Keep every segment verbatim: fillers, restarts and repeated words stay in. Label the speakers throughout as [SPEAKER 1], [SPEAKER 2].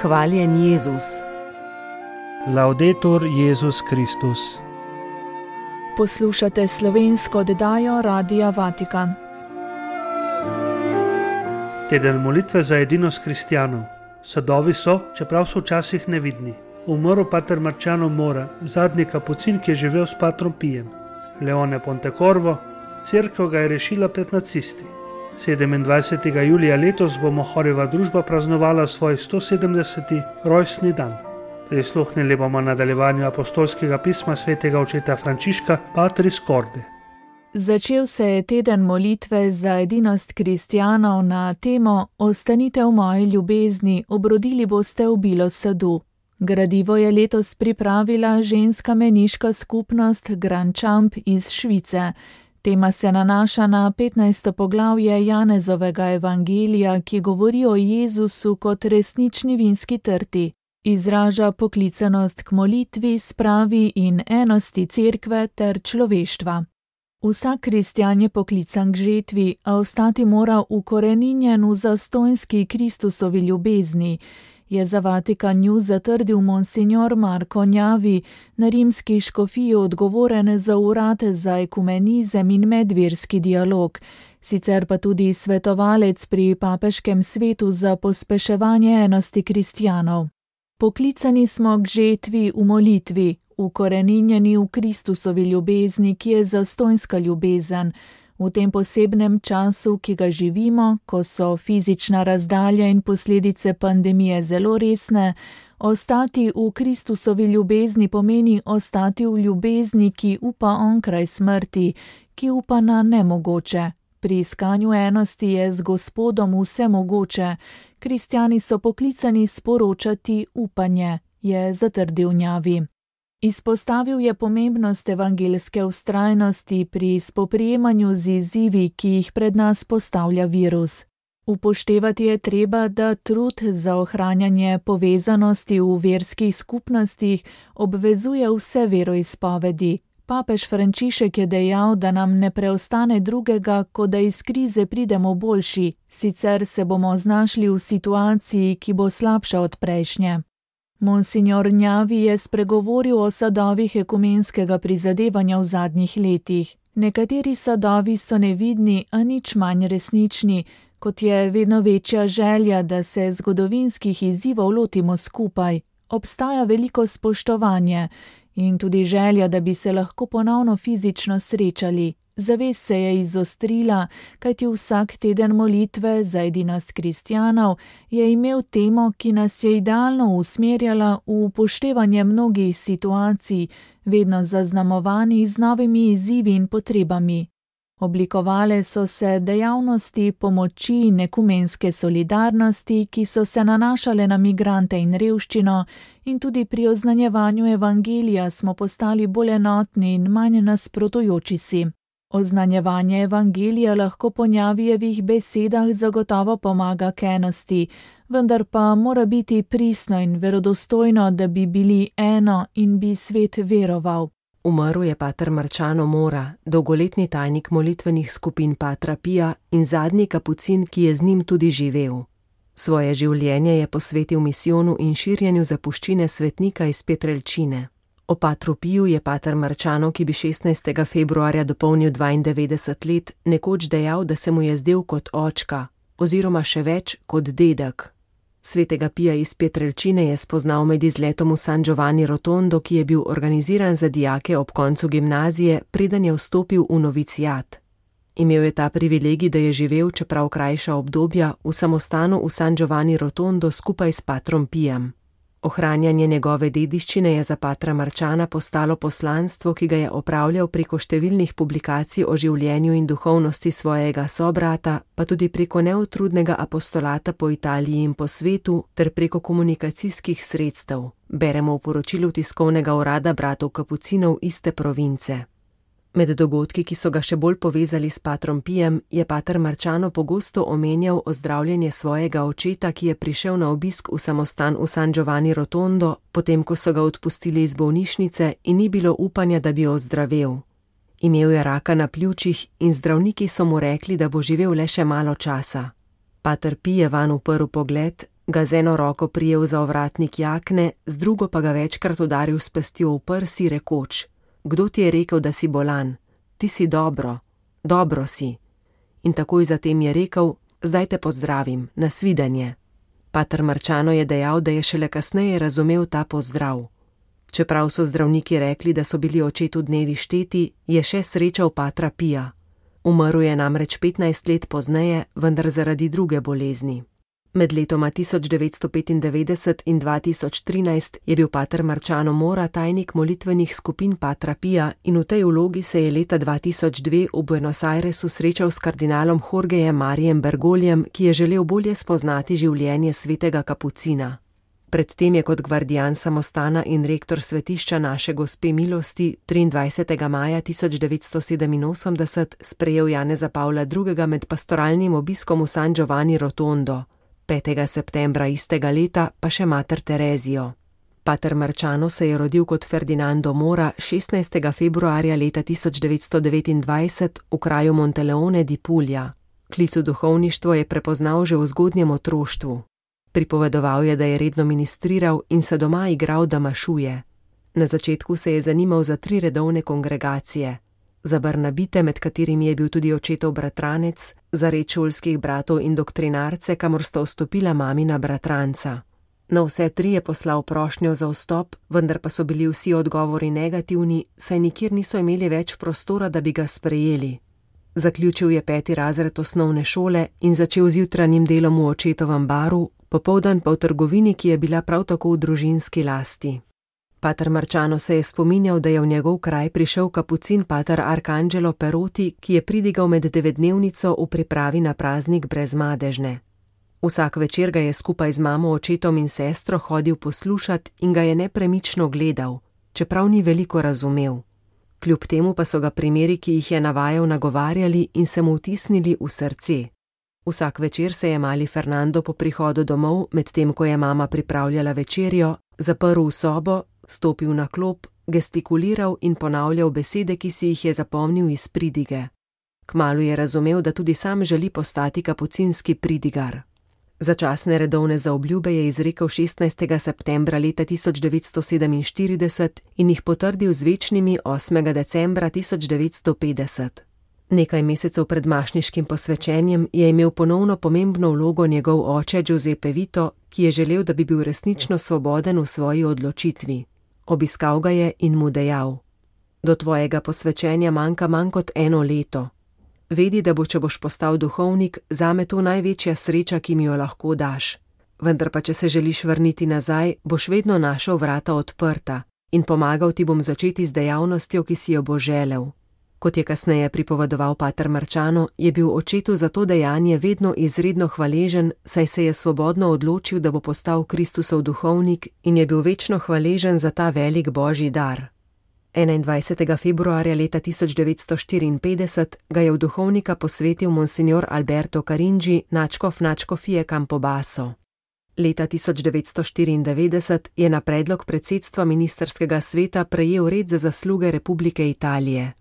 [SPEAKER 1] Hvaljen Jezus.
[SPEAKER 2] Laudetur Jezus Kristus.
[SPEAKER 3] Poslušate slovensko oddajo Radia Vatikan.
[SPEAKER 2] Teden molitve za edinost kristjanov. Sadovi so, čeprav so včasih nevidni. Umrl pater Marciano Mora, zadnji kapucin, ki je živel s patrom Pijem. Leone Pontecorvo, cerkev ga je rešila pred nacisti. sedemindvajsetega julija letos bo Mohorjeva družba praznovala svoj sto sedemdeseti rojstni dan. Prisluhnili bomo nadaljevanju apostolskega pisma svetega očeta Frančiška Patris Corde.
[SPEAKER 3] Začel se je teden molitve za edinost kristjanov na temo Ostanite v moji ljubezni, obrodili boste obilo sadu. Gradivo je letos pripravila ženska meniška skupnost Grand Champ iz Švice. Tema se nanaša na petnajsto poglavje Janezovega evangelija, ki govori o Jezusu kot resnični vinski trti. Izraža poklicanost k molitvi, spravi in enosti cerkve ter človeštva. Vsak kristjan je poklican k žetvi, a ostati mora ukoreninjen v zastonjski Kristusovi ljubezni, je za Vatikan News zatrdil monsignor Marko Njavi, na rimski škofiji odgovoren za urad za ekumenizem in medverski dialog, sicer pa tudi svetovalec pri papeškem svetu za pospeševanje enosti kristjanov. Poklicani smo k žetvi v molitvi, ukoreninjeni v Kristusovi ljubezni, ki je zastonjska ljubezen. V tem posebnem času, ki ga živimo, ko so fizična razdalja in posledice pandemije zelo resne, ostati v Kristusovi ljubezni pomeni ostati v ljubezni, ki upa onkraj smrti, ki upa na nemogoče. Pri iskanju enosti je z Gospodom vse mogoče. Kristjani so poklicani sporočati upanje, je zatrdil Njavi. Izpostavil je pomembnost evangeljske vztrajnosti pri spoprijemanju z izzivi, ki jih pred nas postavlja virus. Upoštevati je treba, da trud za ohranjanje povezanosti v verskih skupnostih obvezuje vse veroizpovedi. Papež Frančišek je dejal, da nam ne preostane drugega, kot da iz krize pridemo boljši, sicer se bomo znašli v situaciji, ki bo slabša od prejšnje. Monsignor Njavi je spregovoril o sadovih ekumenskega prizadevanja v zadnjih letih. Nekateri sadovi so nevidni, a nič manj resnični, kot je vedno večja želja, da se zgodovinskih izzivov lotimo skupaj. Obstaja veliko spoštovanje in tudi želja, da bi se lahko ponovno fizično srečali. Zavest se je izostrila, kajti vsak teden molitve za edinost kristjanov je imel temo, ki nas je idealno usmerjala v upoštevanje mnogih situacij, vedno zaznamovani z novimi izzivi in potrebami. Oblikovale so se dejavnosti pomoči in ekumenske solidarnosti, ki so se nanašale na migrante in revščino, in tudi pri oznanjevanju evangelija smo postali bolj enotni in manj nasprotujoči si. Oznanjevanje evangelija lahko po Njavijevih besedah zagotovo pomaga k enosti, vendar pa mora biti pristno in verodostojno, da bi bili eno in bi svet veroval.
[SPEAKER 1] Umrl je pater Marciano Mora, dolgoletni tajnik molitvenih skupin patra Pija in zadnji kapucin, ki je z njim tudi živel. Svoje življenje je posvetil misijonu in širjenju zapuščine svetnika iz Pietrelcine. O patru Piju je pater Marciano, ki bi šestnajstega februarja dopolnil dvaindevetdeset let, nekoč dejal, da se mu je zdel kot očka, oziroma še več kot dedek. Svetega Pija iz Pietrelcine je spoznal med izletom v San Giovanni Rotondo, ki je bil organiziran za dijake ob koncu gimnazije, preden je vstopil v novicijat. Imel je ta privilegij, da je živel, čeprav krajša obdobja, v samostanu v San Giovanni Rotondo skupaj s patrom Pijem. Ohranjanje njegove dediščine je za patra Marciana postalo poslanstvo, ki ga je opravljal preko številnih publikacij o življenju in duhovnosti svojega sobrata, pa tudi preko neutrudnega apostolata po Italiji in po svetu ter preko komunikacijskih sredstev, beremo v poročilu tiskovnega urada bratov kapucinov iste province. Med dogodki, ki so ga še bolj povezali s patrom Pijem, je pater Marciano pogosto omenjal ozdravljenje svojega očeta, ki je prišel na obisk v samostan v San Giovanni Rotondo, potem ko so ga odpustili iz bolnišnice in ni bilo upanja, da bi ozdravel. Imel je raka na pljučih in zdravniki so mu rekli, da bo živel le še malo časa. Pater Pij je vanj uprl pogled, ga z eno roko prijel za ovratnik jakne, z drugo pa ga večkrat udaril s pestjo v prsi, rekoč: Kdo ti je rekel, da si bolan? Ti si dobro, dobro si. In takoj zatem je rekel: Zdaj te pozdravim, nasvidenje. Pater Marčano je dejal, da je šele kasneje razumel ta pozdrav. Čeprav so zdravniki rekli, da so bili očetu dnevi šteti, je še srečal patra Pija. Umrl je namreč petnajst let pozneje, vendar zaradi druge bolezni. Med letoma tisoč devetsto petindevetdeset in dva tisoč trinajst je bil pater Marčano Mora tajnik molitvenih skupin patra Pija in v tej vlogi se je leta dva tisoč dve v Buenos Airesu srečal s kardinalom Jorgejem Marijem Bergoljem, ki je želel bolje spoznati življenje svetega kapucina. Predtem je kot gvardijan samostana in rektor svetišča Naše Gospe milosti triindvajsetega maja tisoč devetsto sedeminosemdeset sprejel Janeza Pavla drugega med pastoralnim obiskom v San Giovanni Rotondo, petega septembra istega leta pa še mater Terezijo. Pater Marčano se je rodil kot Ferdinando Mora šestnajstega februarja leta tisoč devetsto devetindvajset v kraju Monteleone di Puglia. Klic v duhovništvo je prepoznal že v zgodnjem otroštvu. Pripovedoval je, da je redno ministriral in se doma igral, da mašuje. Na začetku se je zanimal za tri redovne kongregacije. Za Barnabite, med katerimi je bil tudi očetov bratranec, za red šolskih bratov in doktrinarce, kamor sta vstopila mamina bratranca. Na vse tri je poslal prošnjo za vstop, vendar pa so bili vsi odgovori negativni, saj nikjer niso imeli več prostora, da bi ga sprejeli. Zaključil je peti razred osnovne šole in začel z jutranjim delom v očetovem baru, popoldan pa v trgovini, ki je bila prav tako v družinski lasti. Pater Marčano se je spominjal, da je v njegov kraj prišel kapucin pater Arcangelo Perotti, ki je pridigal med devetdnevnico v pripravi na praznik Brezmadežne. Vsak večer ga je skupaj z mamo, očetom in sestro hodil poslušat in ga je nepremično gledal, čeprav ni veliko razumel. Kljub temu pa so ga primeri, ki jih je navajal, nagovarjali in se mu vtisnili v srce. Vsak večer se je mali Fernando po prihodu domov, medtem ko je mama pripravljala večerjo, zaprl v sobo, stopil na klop, gestikuliral in ponavljal besede, ki si jih je zapomnil iz pridige. Kmalu je razumel, da tudi sam želi postati kapucinski pridigar. Začasne redovne zaobljube je izrekel šestnajstega septembra leta tisoč devetsto sedeminštirideset in jih potrdil z večnimi osmega decembra tisoč devetsto petdeset. Nekaj mesecev pred mašniškim posvečenjem je imel ponovno pomembno vlogo njegov oče Giuseppe Vito, ki je želel, da bi bil resnično svoboden v svoji odločitvi. Obiskal ga je in mu dejal: Do tvojega posvečenja manjka manj kot eno leto. Vedi, da bo, če boš postal duhovnik, zame to največja sreča, ki mi jo lahko daš. Vendar pa, če se želiš vrniti nazaj, boš vedno našel vrata odprta in pomagal ti bom začeti z dejavnostjo, ki si jo bo želel. Kot je kasneje pripovedoval pater Marčano, je bil očetu za to dejanje vedno izredno hvaležen, saj se je svobodno odločil, da bo postal Kristusov duhovnik in je bil večno hvaležen za ta velik božji dar. enaindvajsetega februarja leta tisoč devetsto štiriinpetdeset ga je v duhovnika posvetil monsignor Alberto Caringi, nadškof nadškofije Campobasso. Leta tisoč devetsto štiriindevetdeset je na predlog predsedstva ministrskega sveta prejel red za zasluge Republike Italije.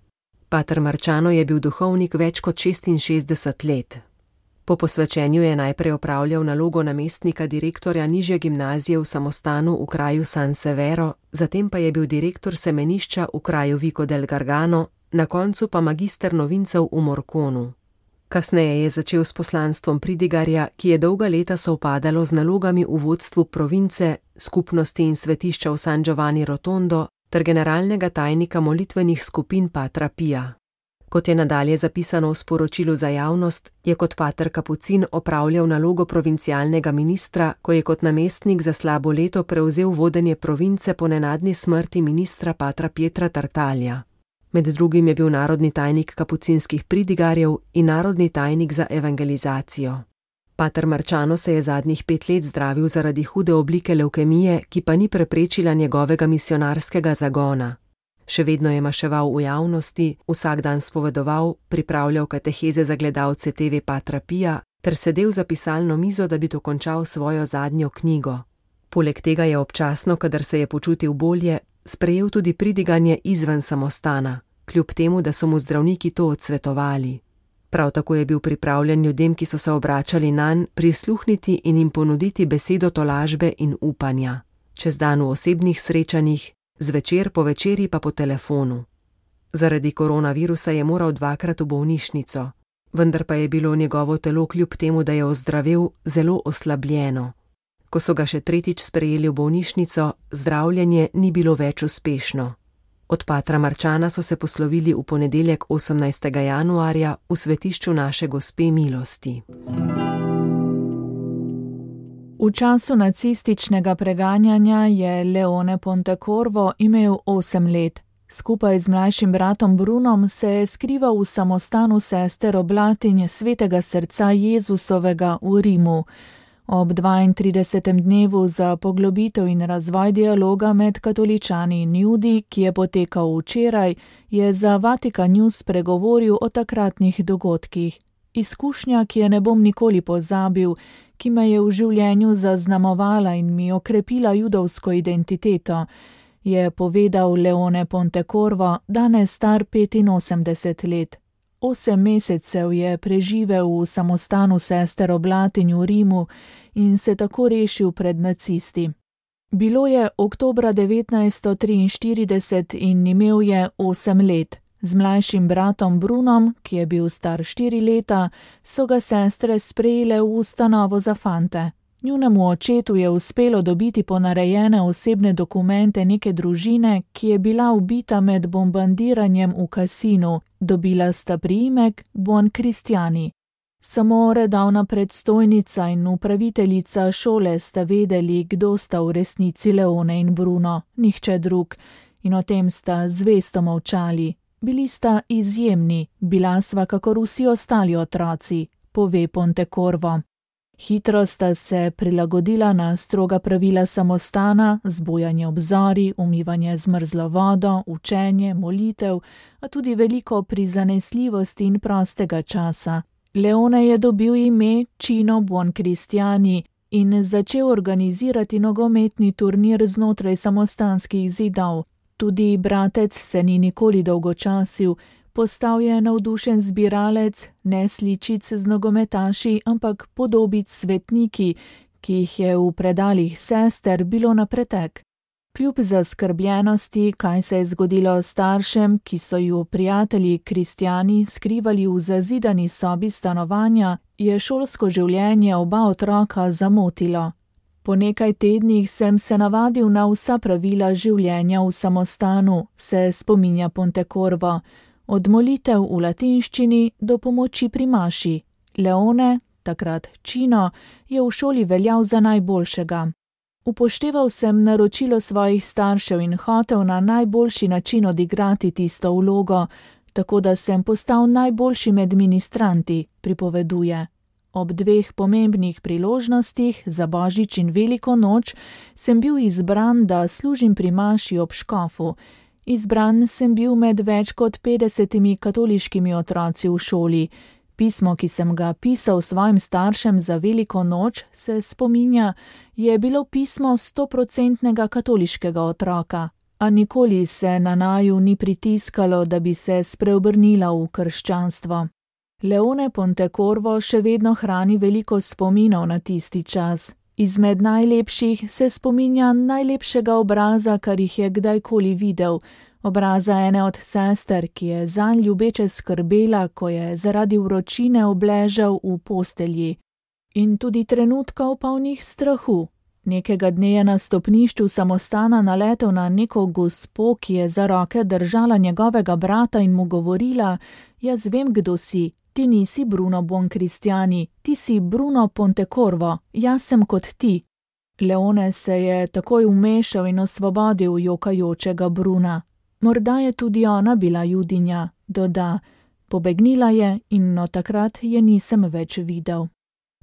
[SPEAKER 1] Pater Marčano je bil duhovnik več kot šestinšestdeset let. Po posvečenju je najprej opravljal nalogo namestnika direktorja nižje gimnazije v samostanu v kraju San Severo, zatem pa je bil direktor semenišča v kraju Vico del Gargano, na koncu pa magister novincev v Morconu. Kasneje je začel s poslanstvom pridigarja, ki je dolga leta sovpadalo z nalogami v vodstvu province, skupnosti in svetišča v San Giovanni Rotondo ter generalnega tajnika molitvenih skupin patra Pija. Kot je nadalje zapisano v sporočilu za javnost, je kot pater kapucin opravljal nalogo provincialnega ministra, ko je kot namestnik za slabo leto prevzel vodenje province po nenadni smrti ministra patra Pietra Tartaglia. Med drugim je bil narodni tajnik kapucinskih pridigarjev in narodni tajnik za evangelizacijo. Pater Marčano se je zadnjih pet let zdravil zaradi hude oblike levkemije, ki pa ni preprečila njegovega misionarskega zagona. Še vedno je maševal v javnosti, vsak dan spovedoval, pripravljal kateheze za gledalce te ve patra Pija ter sedel za pisalno mizo, da bi dokončal svojo zadnjo knjigo. Poleg tega je občasno, kadar se je počutil bolje, sprejel tudi pridiganje izven samostana, kljub temu, da so mu zdravniki to odsvetovali. Prav tako je bil pripravljen ljudem, ki so se obračali nanj, prisluhniti in jim ponuditi besedo tolažbe in upanja. Čez dan v osebnih srečanjih, zvečer po večeri pa po telefonu. Zaradi koronavirusa je moral dvakrat v bolnišnico, vendar pa je bilo njegovo telo kljub temu, da je ozdravel, zelo oslabljeno. Ko so ga še tretjič sprejeli v bolnišnico, zdravljenje ni bilo več uspešno. Od patra Marčana so se poslovili v ponedeljek osemnajstega januarja v svetišču Naše Gospe milosti.
[SPEAKER 3] V času nacističnega preganjanja je Leone Pontecorvo imel osem let. Skupaj z mlajšim bratom Brunom se je skrival v samostanu sester Oblatinje Svetega srca Jezusovega v Rimu. Ob dvaintridesetem dnevu za poglobitev in razvoj dialoga med katoličani in Judi, ki je potekal včeraj, je za Vatikan News spregovoril o takratnih dogodkih. Izkušnja, ki je ne bom nikoli pozabil, ki me je v življenju zaznamovala in mi okrepila judovsko identiteto, je povedal Leone Pontecorvo, danes star petinosemdeset let. Osem mesecev je preživel v samostanu sester Oblatinj v Rimu in se tako rešil pred nacisti. Bilo je oktobra devetnajststo triinštirideset in imel je osem let. Z mlajšim bratom Brunom, ki je bil star štiri leta, so ga sestre sprejele v ustanovo za fante. Njunemu očetu je uspelo dobiti ponarejene osebne dokumente neke družine, ki je bila ubita med bombardiranjem v kasinu. Dobila sta priimek Buoncristiani. Samo redavna predstojnica in upraviteljica šole sta vedeli, kdo sta v resnici Leone in Bruno, nihče drug, in o tem sta zvesto molčali. Bili sta izjemni, bila sva kakor vsi ostali otroci, pove Pontecorvo. Hitro sta se prilagodila na stroga pravila samostana, zbujanje ob zori, umivanje z mrzlo vodo, učenje, molitev, a tudi veliko prizanesljivosti in prostega časa. Leone je dobil ime Cino Buoncristiani in začel organizirati nogometni turnir znotraj samostanskih zidov. Tudi bratec se ni nikoli dolgočasil, postal je navdušen zbiralec, ne sličic z nogometaši, ampak podobic svetniki, ki jih je v predalih sester bilo na pretek. Kljub zaskrbljenosti, kaj se je zgodilo staršem, ki so ju prijatelji kristjani skrivali v zazidani sobi stanovanja, je šolsko življenje oba otroka zamotilo. Po nekaj tednih sem se navadil na vsa pravila življenja v samostanu, se spominja Pontecorvo. Od molitev v latinščini do pomoči pri maši. Leone, takrat Cino, je v šoli veljal za najboljšega. Upošteval sem naročilo svojih staršev in hotel na najboljši način odigrati tisto vlogo, tako da sem postal najboljši med ministranti, pripoveduje. Ob dveh pomembnih priložnostih, za Božič in Veliko noč, sem bil izbran, da služim pri maši ob škofu. Izbran sem bil med več kot petdesetimi katoliškimi otroci v šoli. Pismo, ki sem ga pisal svojim staršem za Veliko noč, se spominja, je bilo pismo stoprocentnega katoliškega otroka, a nikoli se na naju ni pritiskalo, da bi se spreobrnila v krščanstvo. Leone Pontecorvo še vedno hrani veliko spominov na tisti čas. Izmed najlepših se spominja najlepšega obraza, kar jih je kdajkoli videl, obraza ene od sester, ki je zanj ljubeče skrbela, ko je zaradi vročine obležal v postelji. In tudi trenutkov polnih strahu. Nekega dne je na stopnišču samostana naletel na neko gospo, ki je za roke držala njegovega brata in mu govorila: "Jaz vem, kdo si. Ti nisi Bruno Buoncristiani, ti si Bruno Pontecorvo, jaz sem kot ti." Leone se je takoj vmešal in osvobodil jokajočega Bruna. Morda je tudi ona bila judinja, doda. Pobegnila je in od takrat je nisem več videl.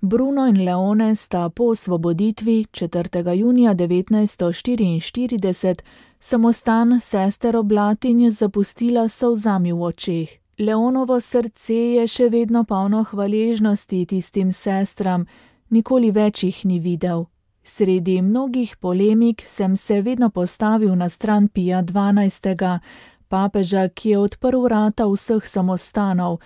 [SPEAKER 3] Bruno in Leone sta po osvoboditvi četrtega junija devetnajststo štiriinštirideset samostan sester Oblatinj zapustila s solzami v očeh. Leonovo srce je še vedno polno hvaležnosti tistim sestram, nikoli več jih ni videl. Sredi mnogih polemik sem se vedno postavil na stran Pija dvanajstega, papeža, ki je odprl vrata vseh samostanov.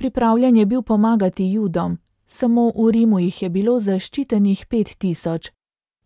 [SPEAKER 3] Pripravljen je bil pomagati Judom, samo v Rimu jih je bilo zaščitenih pet tisoč.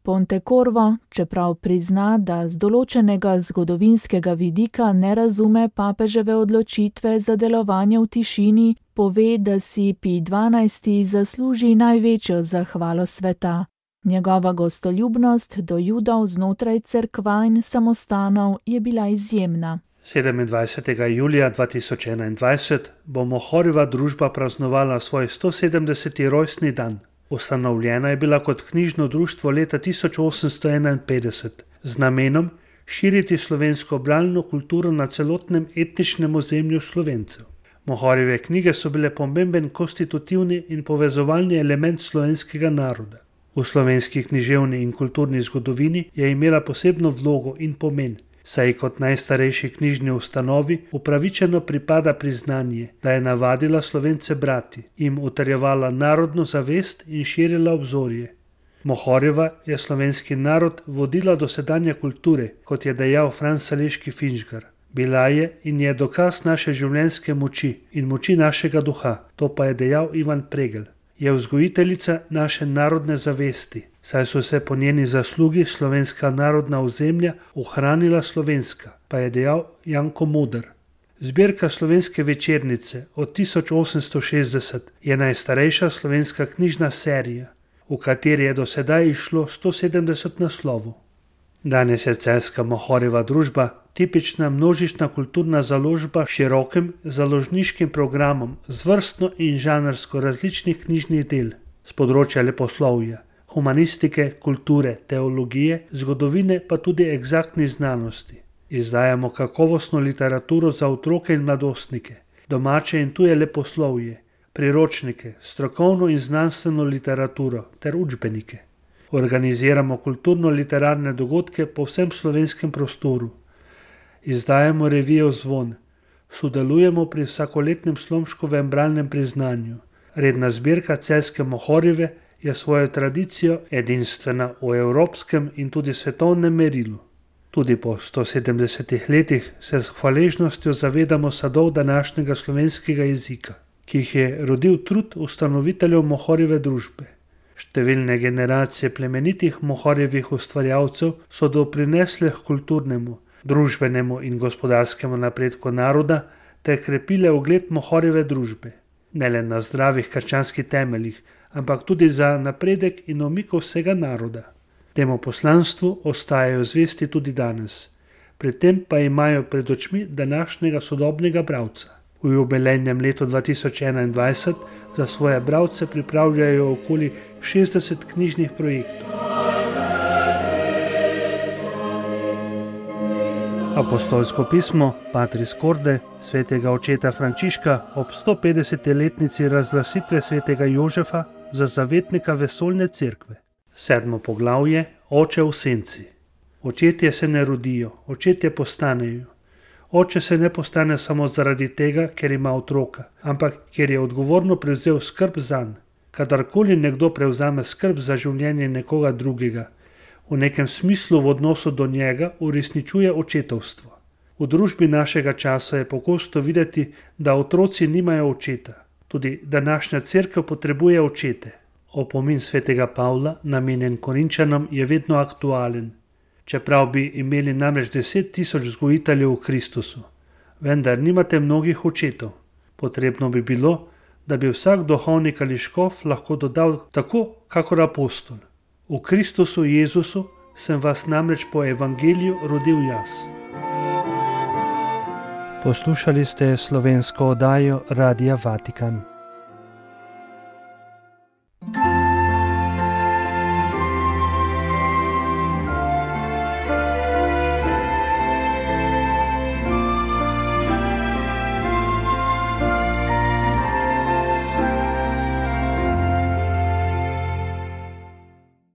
[SPEAKER 3] Pontecorvo, čeprav prizna, da z določenega zgodovinskega vidika ne razume papeževe odločitve za delovanje v tišini, pove, da si Pij dvanajsti zasluži največjo zahvalo sveta. Njegova gostoljubnost do Judov znotraj cerkva in samostanov je bila izjemna.
[SPEAKER 2] sedemindvajsetega julija dva tisoč enaindvajset bo Mohorjeva družba praznovala svoj stosedemdeseti rojstni dan. Ustanovljena je bila kot knjižno društvo leta tisoč osemsto enainpetdeset z namenom širiti slovensko bralno kulturo na celotnem etničnem ozemlju Slovencev. Mohorjeve knjige so bile pomemben konstitutivni in povezovalni element slovenskega naroda. V slovenski književni in kulturni zgodovini je imela posebno vlogo in pomen, saj kot najstarejši knjižni ustanovi upravičeno pripada priznanje, da je navadila Slovence brati, jim utrjevala narodno zavest in širila obzorje. Mohorjeva je slovenski narod vodila do sedanje kulture, kot je dejal Franc Saleški Finžgar. Bila je in je dokaz naše življenjske moči in moči našega duha, to pa je dejal Ivan Pregl. Je vzgojiteljica naše narodne zavesti, saj so se po njeni zaslugi slovenska narodna ozemlja ohranila slovenska, pa je dejal Janko Moder. Zbirka Slovenske večernice od tisoč osemsto šestdeset je najstarejša slovenska knjižna serija, v kateri je do sedaj išlo sto sedemdeset naslovov. Danes je celjska Mohorjeva družba tipična množična kulturna založba s širokim založniškim programom z vrstno in žanrsko različnih knjižnih del z področja leposlovja, humanistike, kulture, teologije, zgodovine pa tudi eksaktnih znanosti. Izdajamo kakovostno literaturo za otroke in mladostnike, domače in tuje leposlovje, priročnike, strokovno in znanstveno literaturo ter učbenike. Organiziramo kulturno-literarne dogodke po vsem slovenskem prostoru. Izdajamo revijo Zvon, sodelujemo pri vsakoletnem Slomškovem bralnem priznanju. Redna zbirka celjske Mohorjeve je svojo tradicijo edinstvena v evropskem in tudi svetovnem merilu. Tudi po sto sedemdesetih letih se s hvaležnostjo zavedamo sadov današnjega slovenskega jezika, ki jih je rodil trud ustanoviteljev Mohorjeve družbe. Številne generacije plemenitih Mohorjevih ustvarjalcev so doprinesle k kulturnemu, družbenemu in gospodarskemu napredku naroda ter krepile ugled Mohorjeve družbe, ne le na zdravih krščanskih temeljih, ampak tudi za napredek in omiko vsega naroda. Temu poslanstvu ostajajo zvesti tudi danes, pri tem pa imajo pred očmi današnjega sodobnega bralca. V jubilejnem letu dva tisoč enaindvajset za svoje bralce pripravljajo okoli šestdeset knjižnih projektov. Apostolsko pismo Patris Corde svetega očeta Frančiška ob stopetdesetletnici razglasitve svetega Jožefa za zavetnika vesoljne cerkve. Sedmo poglavje Oče v senci. Očetje se ne rodijo, očetje postanejo. Oče se ne postane samo zaradi tega, ker ima otroka, ampak ker je odgovorno prevzel skrb zanj. Kadarkoli nekdo prevzame skrb za življenje nekoga drugega, v nekem smislu v odnosu do njega uresničuje očetovstvo. V družbi našega časa je pogosto videti, da otroci nimajo očeta. Tudi današnja cerkev potrebuje očete. Opomin svetega Pavla, namenjen Korinčanom, je vedno aktualen. Čeprav bi imeli namreč deset tisoč vzgojiteljev v Kristusu, vendar nimate mnogih očetov. Potrebno bi bilo, da bi vsak duhovnik ali škof lahko dodal tako, kakor apostol. V Kristusu Jezusu sem vas namreč po evangeliju rodil jaz.
[SPEAKER 4] Poslušali ste slovensko oddajo Radia Vatikan.